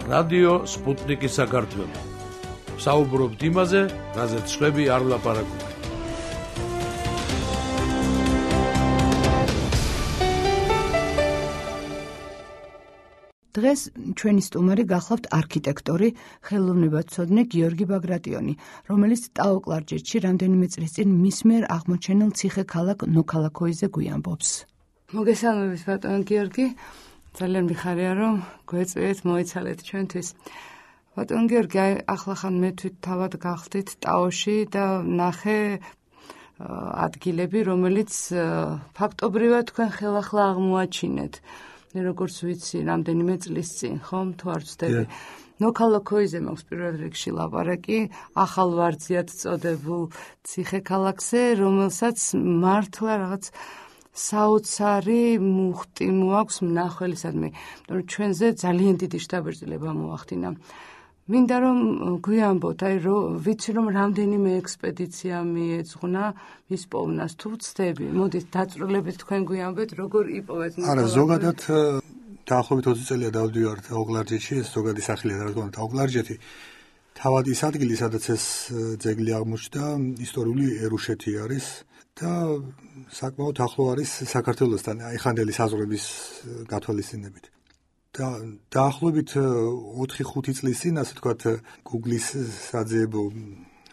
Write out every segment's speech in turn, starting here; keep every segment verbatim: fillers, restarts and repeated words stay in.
რადიო სპუტნიკის საქართველო. საუბრობთ იმაზე, რაზეც სხვები არ ლაპარაკობენ. დღეს ჩვენი სტუმარი გახლავთ არქიტექტორი, ხელოვნებაცოდნე გიორგი ბაგრატიონი, რომელიც ტაო-კლარჯეთში რამდენიმე წლის წინ მის მიერ აღმოჩენილ ციხე-ქალაქ ნოქალაქოიზე გვიამბობს. მოგესალმებით ბატონო გიორგი, ძალიან მიხარია რომ გვეწვიეთ მოიცალეთ ჩვენთვის. ბატონო გიორგი, ახლახან მე თვით თავად გახდით ტაოში და ნახე ადგილები, რომელიც ფაქტობრივად თქვენ ხელახლა აღმოაჩინეთ. როგორც ვიცი, რამდენიმე წლის წინ, ხომ, თუ არ ვცდები. ნოქალაქოიზე მაქვს პირველ რიგში ლაპარაკი, ახალ ვარძიად წოდებულ ციხე-ქალაქზე, რომელსაც მართლა რაღაც საოცარი მუხტი მოაქვს მნახველისადმი, რომ ჩვენზე ძალიან დიდი შთაბეჭდილება მოახდინა. მინდა რომ გვიამბოთ, აი რომ ვიცი რომ რამდენიმე ექსპედიცია მიეძღვნა მის პოვნას, თუ ვცდები, მოდით დაწვრილებით თქვენ გვიამბეთ, როგორ იპოვეთ. არა, ზოგადად დაახლოებით ოცი წელია დავდივარ ტაო-კლარჯეთში, ეს ზოგადი სახლია, რა თქმა უნდა, ტაო-კლარჯეთი. თავად ის ადგილი, სადაც ეს ძეგლი აღმოჩნდა, ისტორიული ერუშეთი არის და საკმაოდ ახლო არის საქართველოსთან, ეხანდელი საზღვრების გათვალისწინებით. და დაახლოებით ოთხი ხუთი წლის წინ, ასე ვთქვათ, Google-ის საძიებო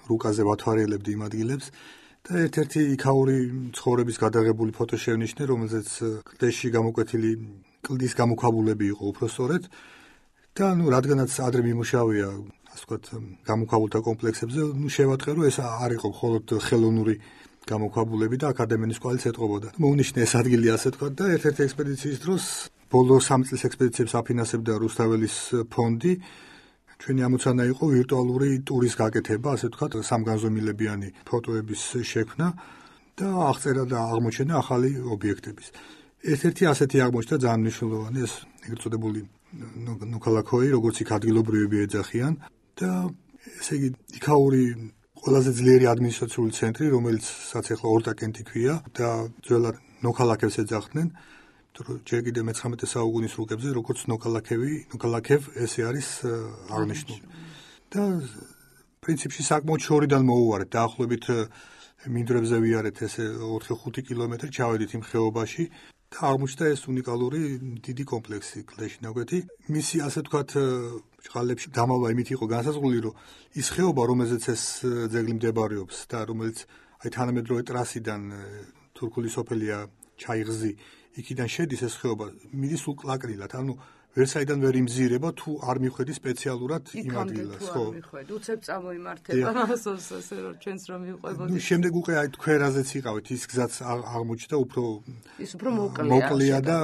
რუკაზე ვათვალელებდი იმ ადგილებს და ერთ-ერთი იქაური ცხოვრების გადაღებული ფოტო შევნიშნე, რომელზეც კლდეში გამოკვეთილი კლდის გამოქვაბულები იყო უпростоრეთ და ნუ რადგანაც ადრე მიმუშავია, ასე ვთქვათ, გამოქვაბულთა კომპლექსებზე, ნუ შევატყე, რომ ეს არ იყო მხოლოდ ხელოვნური გამოქვაბულები და აკადემიის კვალიც ეტყობოდა. მოვნიშნე ეს ადგილი, ასე ვთქვათ, და ერთ-ერთი ექსპედიციის დროს ბოლო სამი წლის ექსპედიციებს აფინანსებდა რუსთაველის ფონდი. ჩვენი ამოცანა იყო ვირტუალური ტურის გაკეთება, ასე ვთქვათ, სამგანზომილებიანი ფოტოების შექმნა და აღწერა და აღმოჩენა ახალი ობიექტების. ერთ-ერთი ასეთი აღმოჩნდა ძალიან მნიშვნელოვანი, ეს ეგრეთ წოდებული ნოქალაქოი, როგორც იქ ადგილობრივები ეძახიან და ესე იგი იქაური ყველაზე ძლიერი ადმინისტრაციული ცენტრი, რომელსაც ახლა ორტაკენტი ქვია და ძველად ნოქალაქებს ეძახდნენ. ჯერ კიდევ მეცხრამეტე საუკუნის რუკებზე, როგორც ნოქალაქევი, ნოქალაქევ ესე არის აღნიშნული. და პრინციპში საკმაოდ შორიდან მოუვარეთ, დაახლოებით მინდვრებზე ვიარეთ ესე ოთხი ხუთი კილომეტრი, ჩავედით იმ ხეობაში და აღმოჩნდა ეს უნიკალური დიდი კომპლექსი კლდეში ნაკვეთი. მისი, ასე ვთქვათ, ჭყალებში დამალვა იმით იყო განსაზღვრული, რომ ის ხეობა, რომელზეც ეს ძეგლი მდებარეობს და რომელიც აი თანამედროვე ტრასიდან თურქული სოფელია ჩაიღზი, იქიდან შედის ეს ხეობა, მიდის სულ კლაკრილად, ანუ ვერსაიდან ვერ იმზირება, თუ არ მიხვედი სპეციალურად იმ ადგილას, ხო? არ მიხვედი, უცებ წამოიმართება, ასე რომ ჩვენს რომ მივყვებოდით. ნუ შემდეგ უკვე აი თქვერაზეც იყავით, ის გზაც აღმოჩნდა, უფრო ის უფრო მოკლეა. მოკლეა და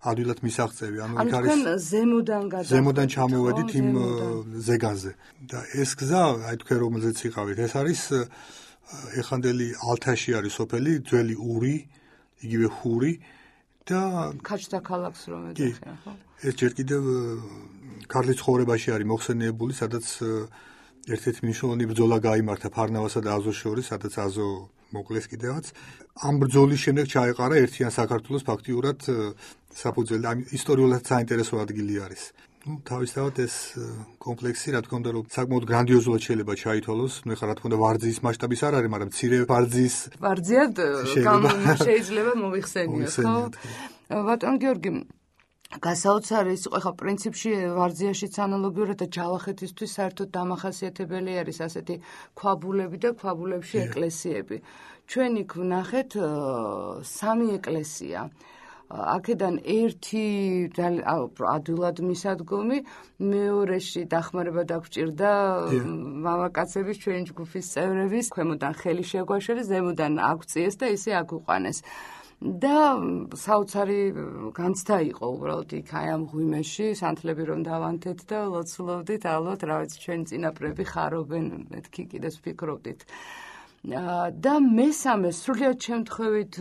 ადვილად მისაღწევი, ანუ იქ არის ზემოდან გადახვედი. ზემოდან ჩამოვედით იმ ზეგანზე. და ეს გზა, აი თქვენ რომელზეც იყავით, ეს არის ეხანდელი ალთაში არის სოფელი, ძველი ური, იგივე ჰური და ქაჩთა ქალაქს რომ ეძახიან, ხო? ეს ჯერ კიდევ ქართლის ცხოვრებაში არის მოხსენიებული, სადაც ერთ-ერთი მნიშვნელოვანი ბრძოლა გაიმართა ფარნავასა და აზოს შორის, სადაც აზო მოკლეს კიდევაც. ამ ბრძოლის შემდეგ ჩაეყარა ერთიან საქართველოს ფაქტიურად საფუძველი. ამ ისტორიულად საინტერესო ადგილი არის. ნუ თავისთავად ეს კომპლექსი, რა თქმა უნდა, რომ საკმაოდ გრანდიოზულად შეიძლება ჩაითვალოს. ნუ ეხლა რა თქმა უნდა, ვარძიის მასშტაბის არ არის, მაგრამ მცირე ვარძიის ვარძიად შეიძლება მოიხსენიოთ, ხო? ბატონო გიორგი, გასაოცარი იყო, ხა პრინციპში ვარძიაშიც ანალოგიურად და ჯავახეთისთვის საერთოდ დამახასიათებელი არის ასეთი ქვაბულები და ქვაბულებში ეკლესიები. ჩვენ იქ ვნახეთ სამი ეკლესია. აქედან ერთი ადვილად მისადგომი, მეორეში დახმარება დაგჭირდა მამაკაცების ჩვენი ჯგუფის წევრების, ქვემოდან ხელი შეგვაშორეს, ზემოდან აგვწიეს და ისე აგვიყვანეს. და საოცარი განცდა იყო უბრალოდ იქ აი ამ ღვიმეში, სანთლები რომ დავანთეთ და ლოცულობდით, ალბათ რა ვიცი ჩვენი წინაპრები ხარობენ, მეთქი კიდეს ვფიქრობდით. და მესამე სრულიად შემთხვევით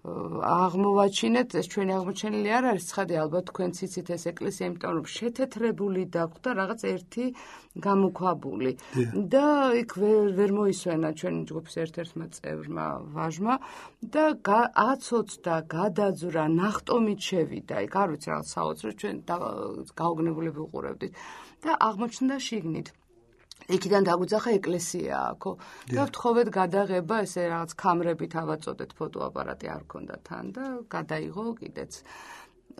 აღმოვაჩინეთ, ეს ჩვენი აღმოჩენილი არ არის ცხადი, ალბათ თქვენც იცით ეს ეკლესია, იმიტომ რომ შეთეთრებული დაგვდა რაღაც ერთი გამოქვაბული და იქ ვერ მოისვენა ჩვენი ჯგუფის ერთ-ერთმა წევრმა ვაჟმა და აცოცდა, გადაძვრა, ნახტომით შევიდა. იქ არ ვიცი რაღაც საოცრო, ჩვენ გაოგნებულები უყურებდით და აღმოჩნდა შიგნით. იქიდან დაგვიძახა ეკლესია აქო და ვთხოვეთ გადაღება, ესე რაღაც კამერებით ავაწოდეთ, ფოტოაპარატი არ ქონდა თან და გადაიღო კიდეც.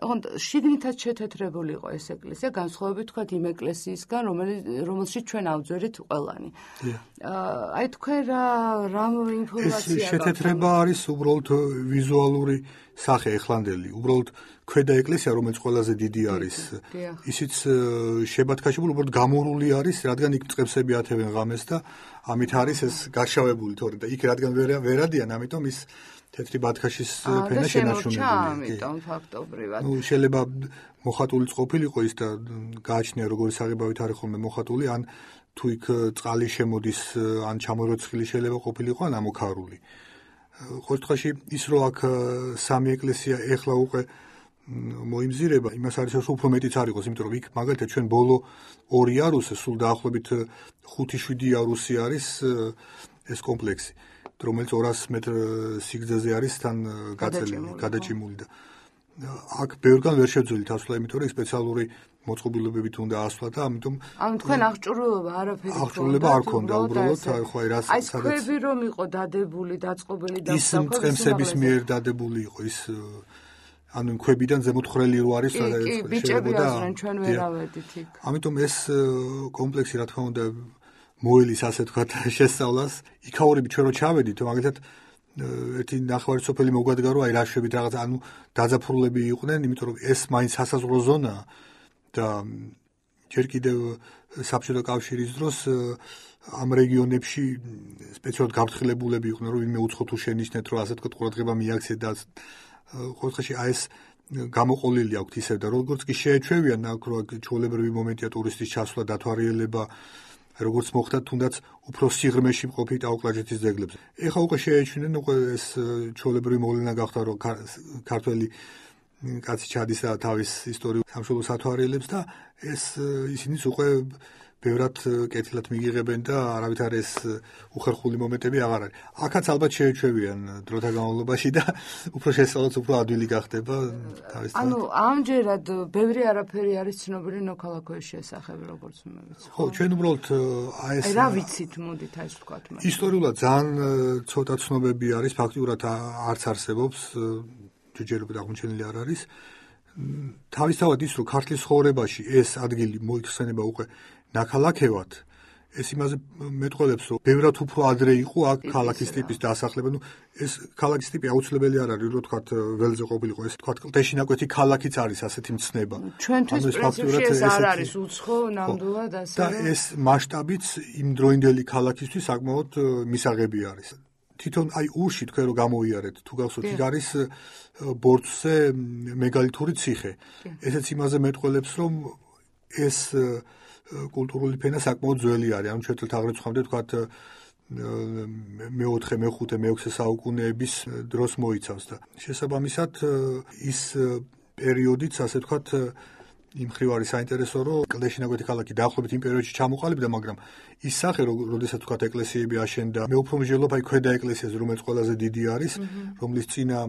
ოღონდ შიგნითაც შეთეთრებული იყო ეს ეკლესია, განსხვავებით თქვა იმ ეკლესიისგან, რომელშიც ჩვენ ავძვერით ყველანი. აი თქვენ რა რა ინფორმაცია ეს შეთეთრება არის უბრალოდ ვიზუალური სახე ეხლანდელი, უბრალოდ ქვედა ეკლესია, რომელიც ყველაზე დიდი არის, ისიც შებათქაშებული, უბრალოდ გამორული არის, რადგან იქ წყებსები ათევენ ღამეს და ამით არის ეს გარშავებული თორე და იქ რადგან ვერადიან, ამიტომ ის თეთრი ბათქაშის ფენა შენარჩუნებულია. ამიტომ ფაქტობრივად. ნუ შეიძლება მოხატულიც ყოფილიყო ის და გააჩნია როგორი საღებავით არის ხოლმე მოხატული, ან თუ იქ წყალი შემოდის, ან ჩამოროცხილი შეიძლება ყოფილიყო, ან ამოქარული. ყოველ შემთხვევაში ის რომ აქ სამი ეკლესია ეხლა უკვე მოიმზირება, იმას არის რომ უფრო მეტიც არ იყოს, იმიტომ რომ იქ მაგალითად ჩვენ ბოლო ორი იარუსი, სულ დაახლოებით ხუთი შვიდი იარუსი არის ეს კომპლექსი, რომელიც ორას მეტრ სიგრძეზე არის თან გაწელილი, გადაჭიმული და აქ ბევრგან ვერ შევძველით ასვლა, იმიტომ რომ სპეციალური მოწყობილობებით უნდა ასვლა და ამიტომ ამ თქვენ აღჭურვილობა არაფერი ქონდა. აღჭურვილობა არ ქონდა უბრალოდ, ხო აი რას სადაც აი ქვები რომ იყო დადებული, დაწყობილი და ის მწყემსების მიერ დადებული იყო ის ანუ ქვებიდან ზემოთ ხრელი რო არის და შეიძლება და ჩვენ ვერ ავედით იქ. ამიტომ ეს კომპლექსი რა თქმა უნდა მოელის ასე თქვა შესწავლას. იქაურები ჩვენ რო ჩავედით, მაგალითად ერთი ნახევარი სოფელი მოგვადგა რომ აი რაშვებით რაღაც ანუ დაძაფრულები იყვნენ, იმიტომ რომ ეს მაინც სასაზღვრო ზონაა და ჯერ კიდევ საბჭოთა კავშირის დროს ამ რეგიონებში სპეციალურად გაფრთხილებულები იყვნენ, რომ ვინმე უცხო თუ შენიშნეთ, რომ ასე თქვა ყურადღება მიაქცეთ და ყოველ შემთხვევაში აი ეს გამოყოლილი აქვს ისევ და როგორც კი შეეჩვევიან აქ რო ჩვეულებრივი მომენტია ტურისტის ჩასვლა, დათვალიერება, როგორც მოხდა თუნდაც უფრო სიღრმეში მყოფი ტაო-კლარჯეთის ძეგლებზე. ეხლა უკვე შეეჩვენენ, უკვე ეს ჩვეულებრივი მოვლენა გახდა, რომ ქართველი კაცი ჩადის და თავის ისტორიულ სამშობლოს ათვალიერებს და ეს ისინიც უკვე ბევრად კეთილად მიიღებენ და არავითარ ეს უხერხული მომენტები აღარ არის. აქაც ალბათ შეეჩვევიან დროთა განმავლობაში და უფრო შესწავლაც უფრო ადვილი გახდება თავის თან. ანუ ამჯერად ბევრი არაფერი არის ცნობილი ნოქალაქოის შესახებ, როგორც მე ვიცი. ხო, ჩვენ უბრალოდ აი ეს რა ვიცით, მოდით აი ეს ვთქვათ მე. ისტორიულად ძალიან ცოტა ცნობები არის, ფაქტიურად არც არსებობს, ჯერჯერობით აღმოჩენილი არ არის. თავისთავად ის რომ ქართლის ცხოვრებაში ეს ადგილი მოიხსენება უკვე ნაქალაქევად, ეს იმაზე მეტყველებს, რომ ბევრად უფრო ადრე იყო აქ ქალაქის ტიპის დასახლება. ნუ ეს ქალაქის ტიპი აუცილებელი არ არის, რომ თქვათ ველზე ყოფილიყო, ეს თქვათ კლდეშინაკვეთი ქალაქიც არის ასეთი მცნება. ჩვენთვის პრინციპში ეს არ არის უცხო ნამდვილად ასე. და ეს მასშტაბიც იმ დროინდელი ქალაქისთვის საკმაოდ მისაღები არის. თვითონ აი ურში თქვენ რომ გამოიარეთ, თუ გახსოვთ, იქ არის ბორცვზე მეგალითური ციხე. ესეც იმაზე მეტყველებს, რომ ეს კულტურული ფენა საკმაოდ ძველი არის. ანუ ჩვენ თაღრიცხვამდე თქვათ მეოთხე, მეხუთე, მეექვსე საუკუნეების დროს მოიცავს და შესაბამისად ის პერიოდიც ასე თქვათ იმ ხრივ არის საინტერესო, რომ კლდეშინაკვეთი ქალაქი დაახლოებით იმ პერიოდში ჩამოყალიბდა, მაგრამ ის სახე, როდესაც თქვათ ეკლესიები აშენდა, მე უფრო მსჯელობ აი ქვედა ეკლესიაზე, რომელიც ყველაზე დიდი არის, რომლის წინა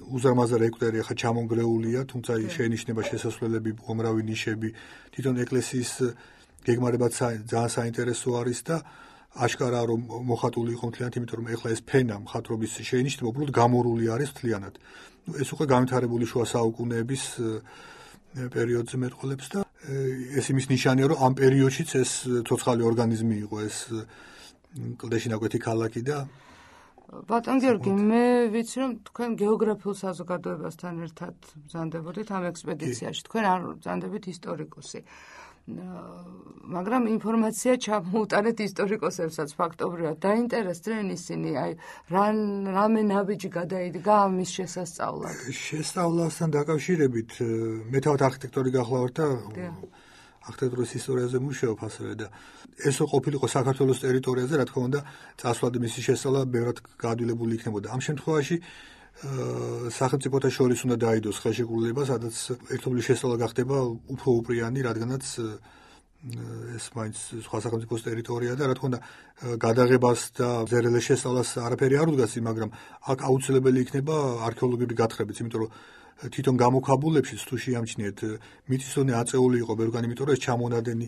უზარმაზარ ეკვტერი ახლა ჩამონგრეულია, თუმცა შეინიშნება შესასვლელები, უამრავი ნიშები, თვითონ ეკლესიის გეგმარებაც ძალიან საინტერესო არის და აშკარაა რომ მოხატული იყო მთლიანად, იმიტომ რომ ეხლა ეს ფენა მხატვრობის შეინიშნება უბრალოდ გამორული არის მთლიანად. ნუ ეს უკვე განვითარებული შუა საუკუნეების პერიოდზე მეტყოლებს და ეს იმის ნიშანია, რომ ამ პერიოდშიც ეს ცოცხალი ორგანიზმი იყო ეს კლდეშინაკვეთი ქალაქი და ბატონ გიორგი, მე ვიცი რომ თქვენ გეოგრაფიულ საზოგადოებასთან ერთად ბრძანდებოდით ამ ექსპედიციაში. თქვენ არ ბრძანდებით ისტორიკოსი. მაგრამ ინფორმაცია ჩამოუტანეთ ისტორიკოსებსაც ფაქტობრივად. დაინტერესდნენ ისინი, აი რამე ნაბიჯი გადაიდგა ამის შესასწავლად. შესწავლასთან დაკავშირებით მე თავად არქიტექტორი გახლავართ და არქიტექტურის ისტორიაზე მუშაობ ასევე და ესო ყოფილიყო საქართველოს ტერიტორიაზე, რა თქმა უნდა, წასვლად მისი შესწავლა ბევრად გაადვილებული იქნებოდა. ამ შემთხვევაში სახელმწიფოთა შორის უნდა დაიდოს ხელშეკრულება, სადაც ერთობლივ შესწავლა გახდება უფრო უპრიანი, რადგანაც ეს მაინც სხვა სახელმწიფოს ტერიტორია და რა თქმა უნდა გადაღებას და ზერელეს შესწავლას არაფერი არ უდგას, მაგრამ აქ აუცილებელი იქნება არქეოლოგიური გათხრებიც, იმიტომ რომ თვითონ გამოქვაბულებში თუ შეამჩნიეთ მიწისძვრე აწეული იყო ბევრგან, იმიტომ რომ ეს ჩამონადენი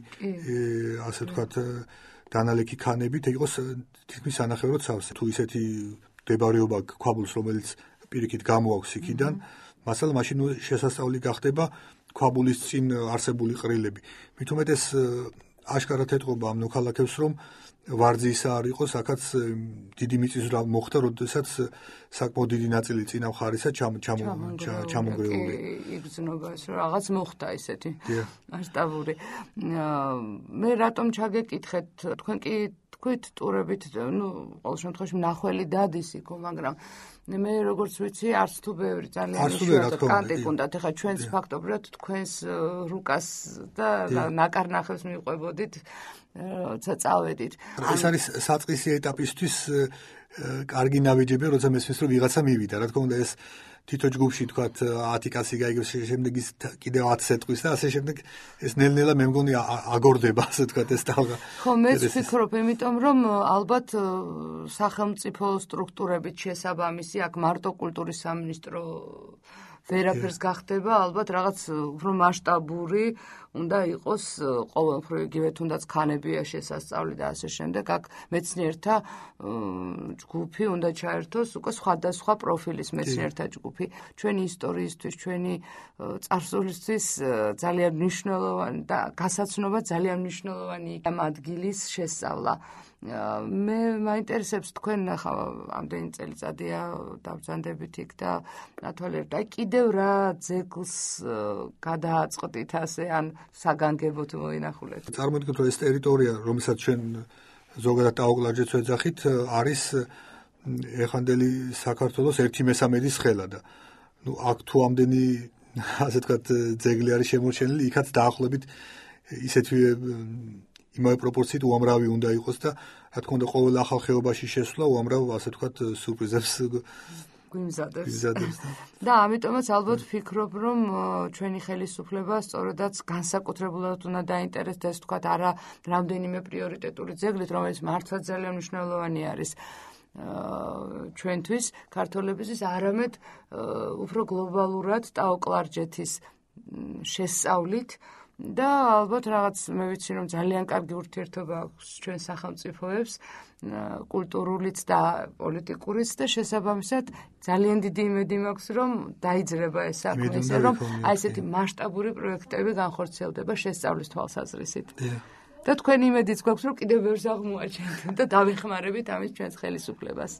ასე ვთქვათ დანალექი ქანებით იყოს თითქმის ანახევრად სავსე. თუ ისეთი მდებარეობა ქვაბულს, რომელიც პირიქით გამოაქვს იქიდან, მასალა მაშინ შესასწავლი გახდება ქვაბულის წინ არსებული ყრილები. მით უმეტეს აშკარად ეთყობა ამ მოქალაქებს, რომ ვარძისა არ იყოს, აქაც დიდი მიწისძვრა მოხდა, როდესაც საკმაოდ დიდი ნაწილი წინა მხარისა ჩამონგრეული. იგრძნობა ეს რომ რაღაც მოხდა ისეთი მასშტაბური. მე რატომ ჩაგეკითხეთ, თქვენ კი თქვით ტურებით, ნუ ყოველ შემთხვევაში მნახველი დადის იქო, მაგრამ მე როგორც ვიცი, არც თუ ბევრი ძალიან იშვიათად კანტი გქონდათ. ეხლა ჩვენს ფაქტობრივად თქვენს რუკას და ნაკარნახებს მივყვებოდით, როცა წავედით. ეს არის საწყისი ეტაპისთვის კარგი ნაბიჯები, როცა მესმის რომ ვიღაცა მივიდა. რა თქმა უნდა, ეს თითო ჯგუფში თქვათ ათი კაცი გაიგებს, შემდეგ ის კიდევ ათს ეტყვის და ასე შემდეგ ეს ნელ-ნელა მე მგონი აგორდება, ასე თქვათ ეს ტალღა. ხო, მეც ვფიქრობ, იმიტომ რომ ალბათ სახელმწიფო სტრუქტურებით შესაბამისი, აქ მარტო კულტურის სამინისტრო ვერაფერს გახდება, ალბათ რაღაც უფრო მასშტაბური უნდა იყოს ყოველმხრივ, იგივე თუნდაც ქანებია შესასწავლი და ასე შემდეგ. აქ მეცნიერთა ჯგუფი უნდა ჩაერთოს, უკვე სხვადასხვა პროფილის მეცნიერთა ჯგუფი. ჩვენი ისტორიისთვის, ჩვენი წარსულისთვის ძალიან მნიშვნელოვანი და გასაცნობა ძალიან მნიშვნელოვანი ამ ადგილის შესწავლა. მე მაინტერესებს თქვენ ახლა ამდენი წელიწადია დავბრძანდებით იქ და ნათვალიერებთ. აი კიდევ რა ძეგლს გადააწყდით ასე ან საგანგებოდ მოინახულეთ? წარმოვიდგინოთ, რომ ეს ტერიტორია, რომელსაც ჩვენ ზოგადად ტაოკლარჯეთს ვეძახით, არის ეხანდელი საქართველოს ერთი მესამედის ხელა და ნუ აქ თუ ამდენი ასე ვთქვათ ძეგლი არის შემორჩენილი, იქაც დაახლოებით ისეთივე იმავე პროპორციით უამრავი უნდა იყოს და რა თქმა უნდა ყოველ ახალ ხეობაში შესვლა უამრავ ასე ვთქვათ სურპრიზებს გვიმზადებს. და ამიტომაც ალბათ ვფიქრობ, რომ ჩვენი ხელისუფლება სწორედაც განსაკუთრებულად უნდა დაინტერესდეს, ვთქვათ, არა რამდენიმე პრიორიტეტული ძეგლით, რომელიც მართლა ძალიან მნიშვნელოვანი არის ჩვენთვის, ქართველებისთვის, არამედ უფრო გლობალურად ტაოკლარჯეთის შესწავლით. და ალბათ რაღაც მე ვიცი, რომ ძალიან კარგი ურთიერთობა აქვს ჩვენ სახელმწიფოებს, კულტურულიც და პოლიტიკურიც და შესაბამისად ძალიან დიდი იმედი მაქვს, რომ დაიძრება ეს საქმე, ისე რომ აი ესეთი მასშტაბური პროექტები განხორციელდება შესწავლის თვალსაზრისით. და თქვენი იმედიც გვაქვს, რომ კიდევ ბევრს აღმოაჩენთ და დავეხმარებით ამის ჩვენს ხელისუფლებას.